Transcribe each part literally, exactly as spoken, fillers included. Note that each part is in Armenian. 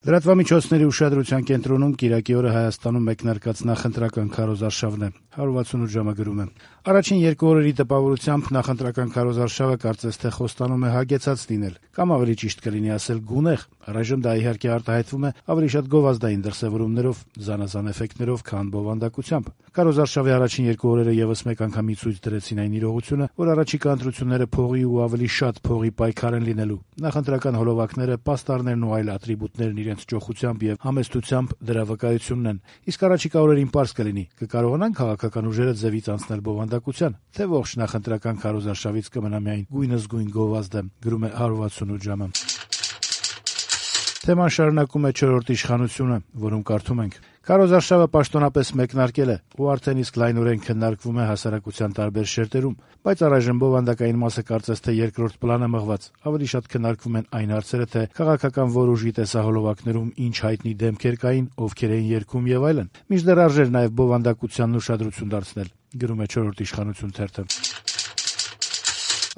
Լրատվամիջոցների ուշադրության կենտրոնում կիրակի օրը Հայաստանում մեկնարկած նախընտրական քարոզարշավն է։ հարյուրվաթսունութ ժամը գրում է. Առաջին երկու օրերի տպավորությամբ նախընտրական քարոզարշավը կարծես թե խոստանում է հագեցած լինել, կամ ավելի ճիշտ կլինի ասել գունեղ։ Առայժմ դա իհարկե արտահայտվում է ավելի շատ գովազդային դրսևորումներով, զանազան էֆեկտներով, քան բովանդակությամբ։ Քարոզարշավի առաջին երկու օրերը եւս մեկ անգամի ցույց դրեցին այն իրողությունը, որ առաջիկա ընտրությունները փողի ու ավելի շատ փողի պայքար են լինելու։ Նախընտրական հոլովակները, պաստառներն ու այլ ատրիբուտներն իրենց ճոխությամբ եւ համեստությամբ դրա վկայությունն են։ Իսկ առաջիկա օրերին պարզ կլինի՝ կկարողանան քաղաքական ուժերը ձևից անցնել բովանդակության, թե ողջ նախընտրական քարոզարշավից կմնա միայն գույնզգույն գովազդը, գրում է հարյուրվաթսունութ ժամը։ Թեման շարունակում է չորրորդ իշխանությունը, որում կարդում ենք. Քարոզարշավը պաշտոնապես մեկնարկել է ու արդեն իսկ լայնորեն քննարկվում է հասարակության տարբեր շերտերում, բայց առայժմ բովանդակային մասը կարծես թե երկրորդ պլան է մղված։ Ավելի շատ քննարկվում են այն հարցերը, թե քաղաքական որ ուժի տեսահոլովակներում ինչ հայտնի դեմքեր կային, ովքեր էին երգում եւ այլն։ Մինչդեռ արժեր նաեւ բովանդակությանն ուշադրություն դարձնել, գրում է չորրորդ իշխանություն թերթը։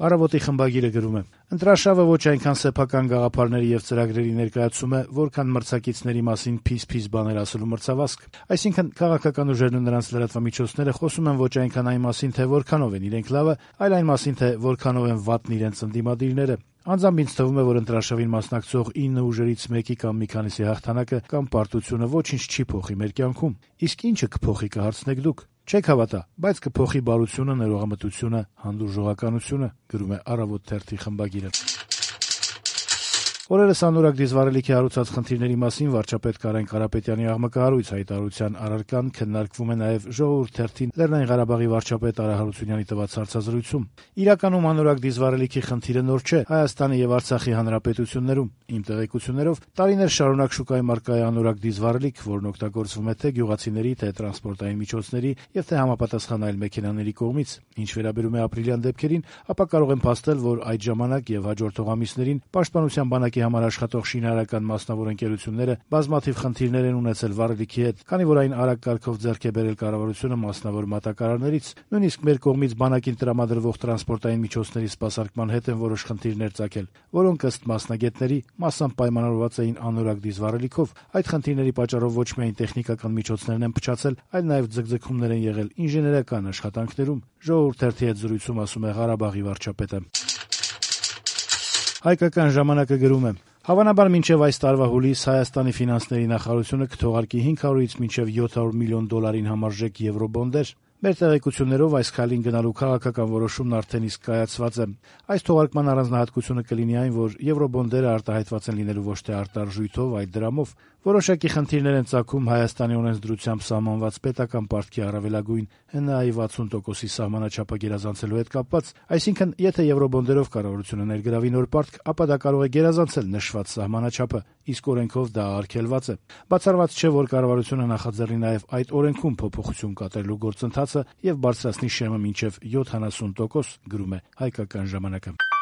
Առավոտի խմբագիրը գրում է. Ընտրարշավը ոչ այնքան սեփական գաղափարների եւ ծրագրերի ներկայացում է, որքան մրցակիցների մասին փիս-փիս բաներ ասելու մրցավազք։ Այսինքն քաղաքական ուժերն ու նրանց լրատվամիջոցները խոսում են ոչ այնքան այն մասին, թե որքանով են իրենք լավը, այլ այն մասին, թե որքանով են վատն իրենց ընդդիմադիրները։ Անձամբ ինձ թվում է, որ ընտրարշավին մասնակցող ինը ուժերից մեկի կամ մի քանիսի հաղթանակը կամ պարտությունը ոչինչ չի փոխի մեր կյանքում։ Իսկ ինչը կփոխի, կհարցնեք դուք։ Չեք հավատա, բայց կփոխի բարությունը, ներողամտությունը, հանդուրժողականությունը, գրում է Առավոտ թերթի խմբագիրը։ Օրերս անորակ դիզվառելիքի հարուցած խնդիրների մասին վարչապետ Կարեն Կարապետյանի աղմկահարույց հայտարարության առարկան քննարկվում է նաև Ժողովուրդ թերթին Լեռնային Ղարաբաղի վարչապետ Արա Հարությունյանի տված հարցազրույցում։ Իրականում անորակ դիզվառելիքի խնդիրը նոր չէ Հայաստանի եւ Արցախի հանրապետություններում։ Իմ տեղեկություններով տարիներ շարունակ շուկայում առկա է անորակ դիզվառելիք, որն օգտագործվում է թե գյուղացիների, թե տրանսպորտային միջոցների եւ թե համապատասխան այլ մեքենաների կողմից։ Ինչ վերաբերում է ապրիլյան դեպքերին, ապա կարող եմ փաստել, որ այդ ժամանակ եւ հաջորդող ամիսներին Պաշտպանության բանակի համար աշխատող շինարարական մասնավոր ընկերությունները բազմաթիվ խնդիրներ են ունեցել վառելիքի հետ, քանի որ այն արագ կարգով ձեռք է բերել կառավարությունը մասնավոր մատակարարներից։ Նույնիսկ մեր կողմից բանակին տրամադրվող տրանսպորտային միջոցների սպասարկման հետ են որոշ խնդիրներ ծագել, որոնք ըստ մասնագետների մասամբ պայմանավորված էին անորակ դիզվառելիքով։ Այդ խնդիրների պատճառով ոչ միայն տեխնիկական միջոցներն են փչացել, այլ նաև ձգձգումներ են եղել ինժեներական աշխատանքներում։ Ժողովուրդ թերթի հետ զրույցում ասում է Ղարաբաղի վարչապետը։ Հայկական ժամանակը գրում է. Հավանաբար մինչև այս տարվա հուլիս Հայաստանի ֆինանսների նախարարությունը կթողարկի հինգ հարյուրից մինչև յոթ հարյուր միլիոն դոլարին համարժեք եվրոբոնդեր։ Մեր տեղեկություններով այս քայլին գնալու քաղաքական որոշումն արդեն իսկ կայացված է։ Այս թողարկման առանձնահատկությունը կլինի այն, որ եվրոբոնդերը արտահայտված են լինելու ոչ թե արտարժույթով, այլ դրամով։ Որոշակի խնդիրներ են ծագում Հայաստանի օրենսդրությամբ սահմանված պետական պարտքի առավելագույն Հ Ն Ա-ի վաթսուն տոկոսի սահմանաչափը գերազանցելու հետ կապված, այսինքն եթե եվրոբոնդերով կառավարությունը ներգրավի նոր պարտք, ապա դա կարող է գերազանցել նշված սահմանաչափը, իսկ օրենքով դա արգելված է։ Բացառված չէ, որ կառավարությունը նախաձեռնի նաև այդ օրենքում փոփոխություն կատարելու գործընթացը եւ բարձրացնի շեմը մինչեւ յոթանասուն տոկոս, գրում է Հայկական ժամանակը։